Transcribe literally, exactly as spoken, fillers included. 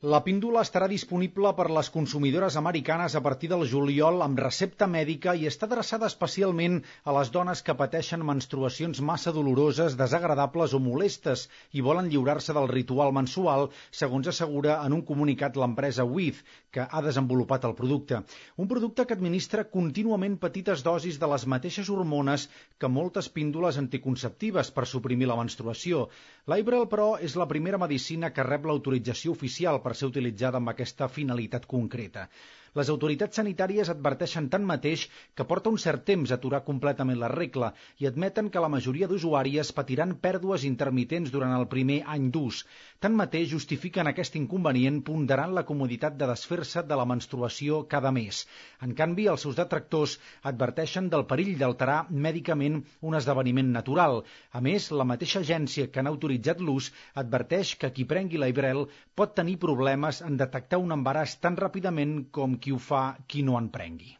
La píndola estarà disponible per les consumidores americanes a partir del juliol amb recepta mèdica i està adreçada especialment a les dones que pateixen menstruacions massa doloroses, desagradables o molestes i volen lliurar-se del ritual mensual, segons assegura en un comunicat l'empresa With, que ha desenvolupat el producte. Un producte que administra contínuament petites dosis de les mateixes hormones que moltes píndoles anticonceptives per suprimir la menstruació. L'Ibrel, però, és la primera medicina que rep l'autorització oficial per ser utilitzada amb aquesta finalitat concreta. Les autoritats sanitàries adverteixen tanmateix que porta un cert temps aturar completament la regla i admeten que la majoria d'usuàries patiran pèrdues intermitents durant el primer any d'ús. Tanmateix justifiquen aquest inconvenient ponderant la comoditat de desfer-se de la menstruació cada mes. En canvi, els seus detractors adverteixen del perill d'alterar mèdicament un esdeveniment natural. A més, la mateixa agència que n'ha autoritzat l'ús adverteix que qui prengui l'Ibrel pot tenir problemes en detectar un embaràs tan ràpidament com qui ho fa qui no en prengui.